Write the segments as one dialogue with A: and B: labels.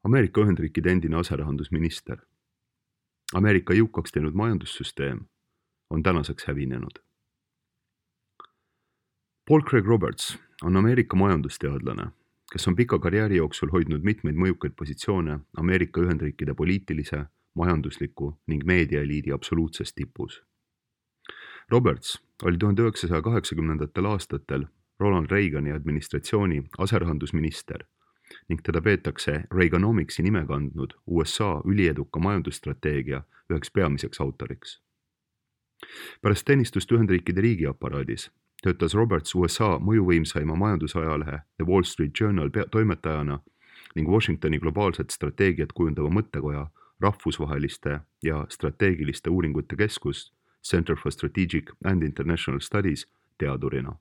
A: Ameerika Ühendriikide endine aserahandusminister. Ameerika jõukaks teinud majandussüsteem on tänaseks hävinenud. Paul Craig Roberts on Ameerika majandusteadlane, kes on pika karjääri jooksul hoidnud mitmeid mõjukaid positsioone Ameerika Ühendriikide poliitilise, majandusliku ning meediaeliidi absoluutses tipus. Roberts oli 1980. aastatel Ronald Reagani administratsiooni aserahandusminister ning teda peetakse Reaganomicsi nime kandnud USA ülieduka majandusstrateegia üheks peamiseks autoriks. Pärast teenistust Ühendriikide riigiaparaadis töötas Roberts USA mõjuvõimsaima majandusajalehe The Wall Street Journal toimetajana ning Washingtoni globaalset strateegiat kujundava mõttekoja rahvusvaheliste ja strateegiliste uuringute keskus Center for Strategic and International Studies teadurina.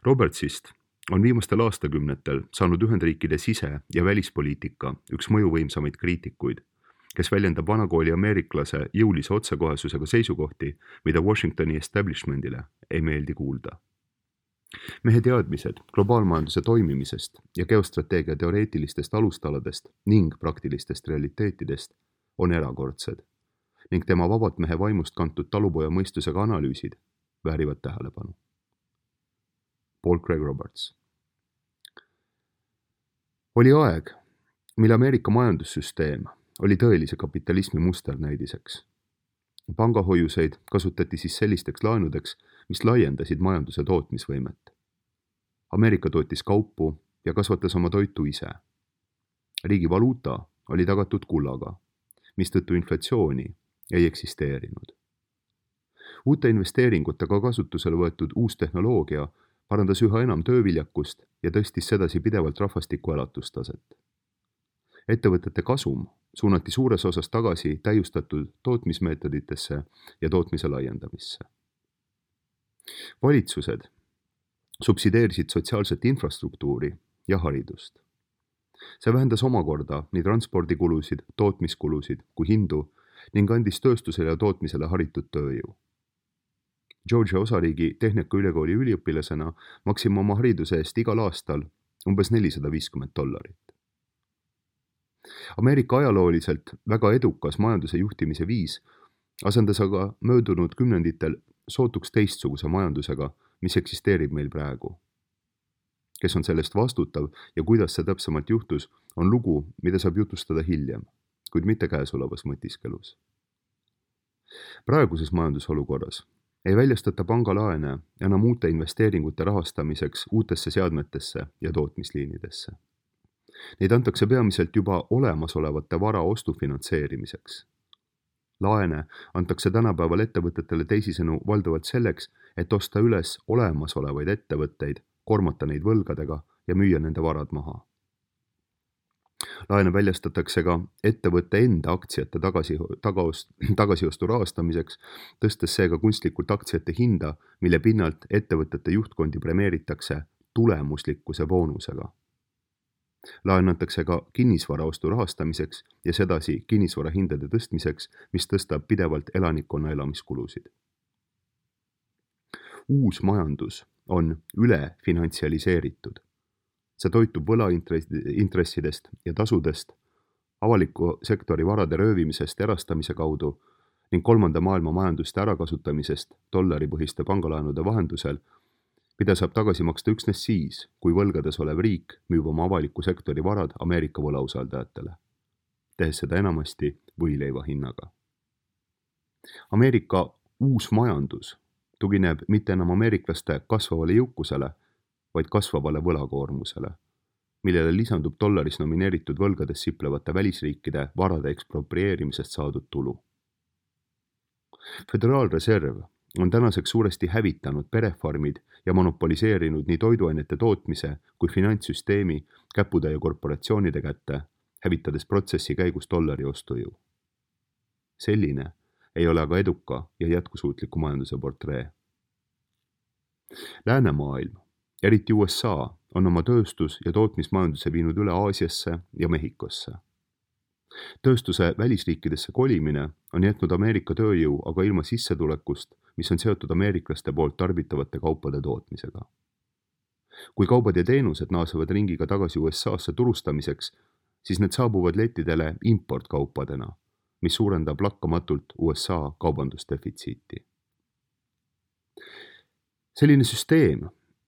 A: Robertsist on viimastel aastakümnetel saanud Ühendriikide sise- ja välispoliitika üks mõjuvõimsamaid kriitikuid, kes väljendab vanakooli ameeriklase jõulise otsekohesusega seisukohti, mida Washingtoni establishmentile ei meeldi kuulda. Mehe teadmised globaalmajanduse toimimisest ja geostrateegia teoreetilistest alustaladest ning praktilistest realiteetidest on erakordsed ning tema vabalt mehe vaimust kantud talupoja mõistusega analüüsid väärivad tähelepanu. Paul Craig Roberts. Oli aeg, mil Ameerika majandussüsteem oli tõelise kapitalismi musternäidiseks. Pangahoiuseid kasutati siis sellisteks laenudeks, mis laiendasid majanduse tootmisvõimet. Ameerika tootis kaupu ja kasvatas oma toitu ise. Riigi valuuta oli tagatud kullaga, mistõttu inflatsiooni ei eksisteerinud. Uute investeeringutega kasutusele võetud uus tehnoloogia parandas üha enam tööviljakust ja tõstis sedasi pidevalt rahvastiku elatustaset. Ettevõtete kasum suunati suures osas tagasi täiustatud tootmismeetoditesse ja tootmise laiendamisse. Valitsused subsideerisid sotsiaalset infrastruktuuri ja haridust. See vähendas omakorda nii transpordikulusid, tootmiskulusid kui hindu ning andis tööstusele ja tootmisele haritud tööjõu. Georgia osariigi Tehnikaülikooli üliõpilasena maksime oma hariduse eest igal aastal umbes $450. Ameerika ajalooliselt väga edukas majanduse juhtimise viis asendas aga möödunud kümnenditel sootuks teistsuguse majandusega, mis eksisteerib meil praegu. Kes on sellest vastutav ja kuidas see täpsemalt juhtus, on lugu, mida saab jutustada hiljem, kuid mitte käesolevas mõtiskelus. Praeguses majandusolukorras ei väljastata pangalaene enam uute investeeringute rahastamiseks uutesse seadmetesse ja tootmisliinidesse. Neid antakse peamiselt juba olemasolevate vara ostu finantseerimiseks. Laene antakse tänapäeval ettevõtetele teisisõnu valdavalt selleks, et osta üles olemasolevaid ettevõtteid, kormata neid võlgadega ja müüa nende varad maha. Laene väljastatakse ka ettevõtte enda aktsiate tagasiostu rahastamiseks, tõstes seega kunstlikult aktsiate hinda, mille pinnalt ettevõtete juhtkondi premeeritakse tulemuslikkuse boonusega. Laen antakse ka kinnisvaraostu rahastamiseks ja sedasi kinnisvara hindade tõstmiseks, mis tõstab pidevalt elanikkonna elamiskulusid. Uus majandus on ülefinantsialiseeritud. See toitub võlaintressidest ja tasudest, avaliku sektori varade röövimisest erastamise kaudu ning kolmanda maailma majanduste ärakasutamisest dollaripõhiste pangalaenude vahendusel, mida saab tagasi maksta üksnes siis, kui võlgades olev riik müüb oma avaliku sektori varad Ameerika võlausaldajatele, tehes seda enamasti võileiva hinnaga. Ameerika uus majandus tugineb mitte enam ameeriklaste kasvavale jõukusele, vaid kasvavale võlakoormusele, millele lisandub dollaris nomineeritud võlgades siplevate välisriikide varade eksproprieerimisest saadud tulu. Föderaalreserv on tänaseks suuresti hävitanud perefarmid ja monopoliseerinud nii toiduainete tootmise kui finantssüsteemi käputäie korporatsioonide kätte, hävitades protsessi käigus dollari ostujõu. Selline ei ole aga eduka ja jätkusuutliku majanduse portree. Läänemaailm, eriti USA, on oma tööstus- ja tootmismajanduse viinud üle Aasiasse ja Mehhikosse. Tööstuse välisriikidesse kolimine on jätnud Ameerika tööjõu aga ilma sissetulekust, mis on seotud ameeriklaste poolt tarbitavate kaupade tootmisega. Kui kaubad ja teenused naasevad ringiga tagasi USA-sse turustamiseks, siis need saabuvad lettidele importkaupadena, mis suurendab lakkamatult USA kaubandusdefitsiiti. Selline süsteem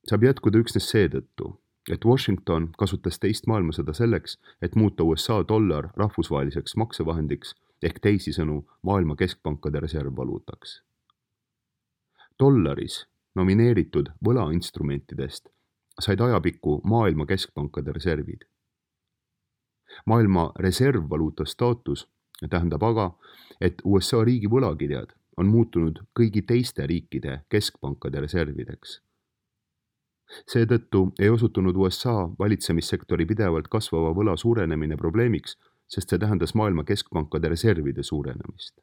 A: saab jätkuda üksnes seetõttu, et Washington kasutas teist maailmasõda selleks, et muuta USA dollar rahvusvaheliseks maksevahendiks ehk teisisõnu maailma keskpankade reservvaluutaks. Dollaris nomineeritud võlainstrumentidest said ajapikku maailma keskpankade reservid. Maailma reservvaluuta staatus tähendab aga, et USA riigi võlakirjad on muutunud kõigi teiste riikide keskpankade reservideks. Seetõttu ei osutunud USA valitsemissektori pidevalt kasvava võla suurenemine probleemiks, sest see tähendas maailma keskpankade reservide suurenemist.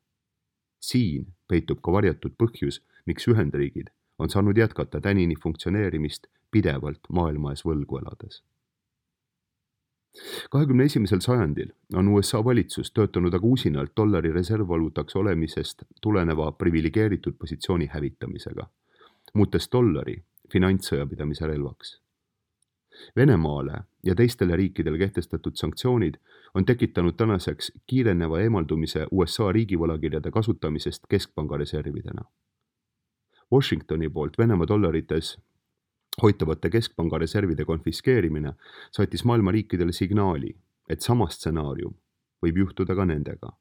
A: Siin peitub ka varjatud põhjus, miks Ühendriigid on saanud jätkata tänini funktsioneerimist pidevalt maailma ees võlgu elades. 21. sajandil on USA valitsus töötanud aga usinalt dollari reservvaluutaks olemisest tuleneva priviligeeritud positsiooni hävitamisega, muutes dollari finantssõjapidamise relvaks. Venemaale ja teistele riikidele kehtestatud sanktsioonid on tekitanud tänaseks kiireneva eemaldumise USA riigivõlakirjade kasutamisest keskpanga reservidena. Washingtoni poolt Venemaa dollarites hoitavate keskpanga reservide konfiskeerimine saatis maailma riikidele signaali, et sama stsenaarium võib juhtuda ka nendega.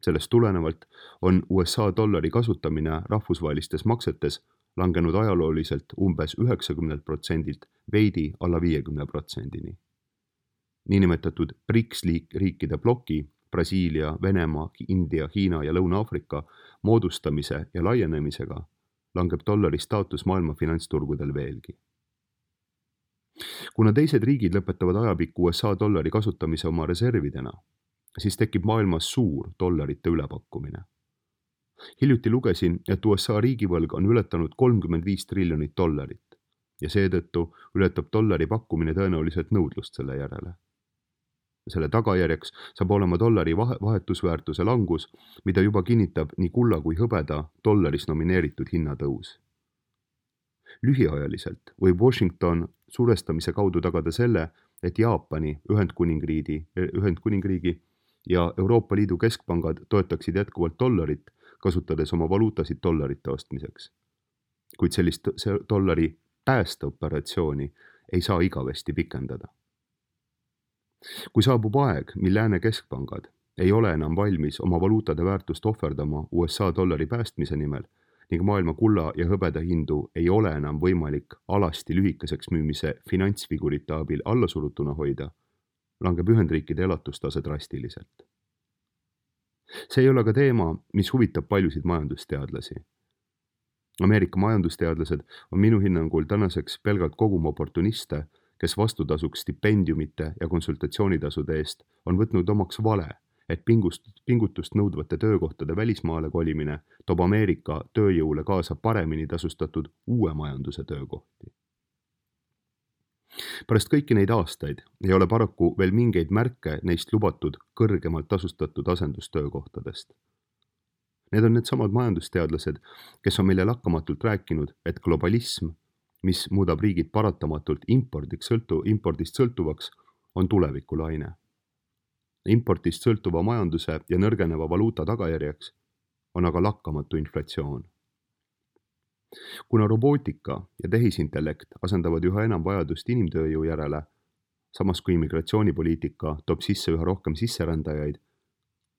A: Sellest tulenevalt on USA dollari kasutamine rahvusvahelistes maksetes langenud ajalooliselt umbes 90% veidi alla 50%. Niinimetatud BRICS riikide ploki Brasiilia, Venemaa, India, Hiina ja Lõuna-Aafrika moodustamise ja laienemisega langeb dollari staatus maailma finantsturgudel veelgi. Kuna teised riigid lõpetavad ajapikku USA dollari kasutamise oma reservidena, siis tekib maailmas suur dollarite ülepakkumine. Hiljuti lugesin, et USA riigivõlg on ületanud $35 triljonit ja seetõttu ületab dollari pakkumine tõenäoliselt nõudlust selle järele. Selle tagajärjeks saab olema dollari vahetusväärtuse langus, mida juba kinnitab nii kulla kui hõbeda dollaris nomineeritud hinnatõus. Lühiajaliselt võib Washington survestamise kaudu tagada selle, et Jaapani, Ühendkuningriigi ja Euroopa Liidu keskpangad toetaksid jätkuvalt dollarit, kasutades oma valuutasid dollarite ostmiseks. Kuid sellist dollari päästeoperatsiooni ei saa igavesti pikendada. Kui saabub aeg, mil lääne keskpangad ei ole enam valmis oma valuutade väärtust ohverdama USA dollari päästmise nimel ning maailma kulla ja hõbeda hindu ei ole enam võimalik alasti lühikeseks müümise finantsfigurite abil allasurutuna hoida, langeb Ühendriikide elatustase drastiliselt. See ei ole ka teema, mis huvitab paljusid majandusteadlasi. Ameerika majandusteadlased on minu hinnangul tänaseks pelgalt kogum oportuniste, kes vastutasuks stipendiumite ja konsultatsioonitasude eest on võtnud omaks vale, et pingutust nõudvate töökohtade välismaale kolimine toob Ameerika tööjõule kaasa paremini tasustatud uue majanduse töökohti. Pärast kõiki neid aastaid ei ole paraku veel mingeid märke neist lubatud kõrgemalt tasustatud asendustöökohtadest. Need on needsamad majandusteadlased, kes on meile lakkamatult rääkinud, et globalism, mis muudab riigid paratamatult impordist sõltuvaks, on tulevikulaine. Impordist sõltuva majanduse ja nõrgeneva valuuta tagajärjeks on aga lakkamatu inflatsioon. Kuna robootika ja tehisintellekt asendavad üha enam vajadust inimtööjõu järele, samas kui immigratsioonipoliitika toob sisse üha rohkem sisserändajaid,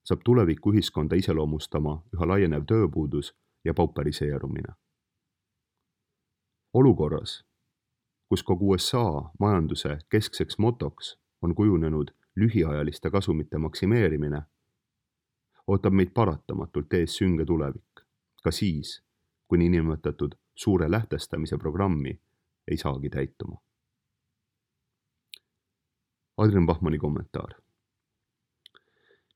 A: saab tuleviku ühiskonda iseloomustama üha laienev tööpuudus ja pauperiseerumine. Olukorras, kus kogu USA majanduse keskseks motoks on kujunenud lühiajaliste kasumite maksimeerimine, ootab meid paratamatult ees sünge tulevik, ka siis, kui niinimetatud suure lähtestamise programmi ei saagi täituma. Adrian Bachmanni kommentaar.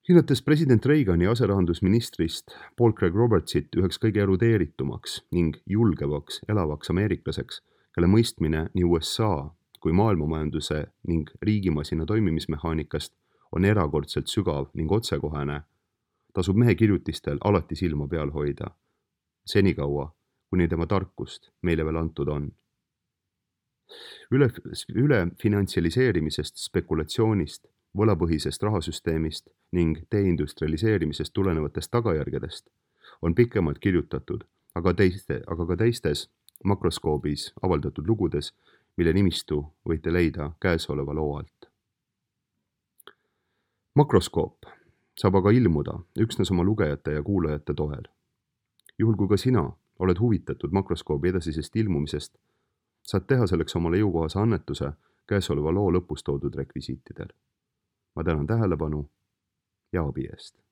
A: Hinnates president Reagani aserahandusministrist Paul Craig Robertsit üheks kõige erudeeritumaks ning julgevaks elavaks ameeriklaseks, kelle mõistmine nii USA kui maailmamajanduse ning riigimasina toimimismehaanikast on erakordselt sügav ning otsekohene, tasub mehe kirjutistel alati silma peal hoida, senikaua, kuni tema tarkust meile veel antud on. Üle finantsialiseerimisest, spekulatsioonist, võlapõhisest rahasüsteemist ning deindustrialiseerimisest tulenevatest tagajärgedest on pikemalt kirjutatud, aga ka teistes Makroskoobis avaldatud lugudes, mille nimistu võite leida käesoleva loo alt. Makroskoop saab aga ilmuda üksnes oma lugejate ja kuulajate toel. Juhul kui ka sina oled huvitatud Makroskoobi edasisest ilmumisest, saad teha selleks omale jõukohase annetuse käesoleva loo lõpus toodud rekvisiitidel. Ma tänan tähelepanu ja abi eest.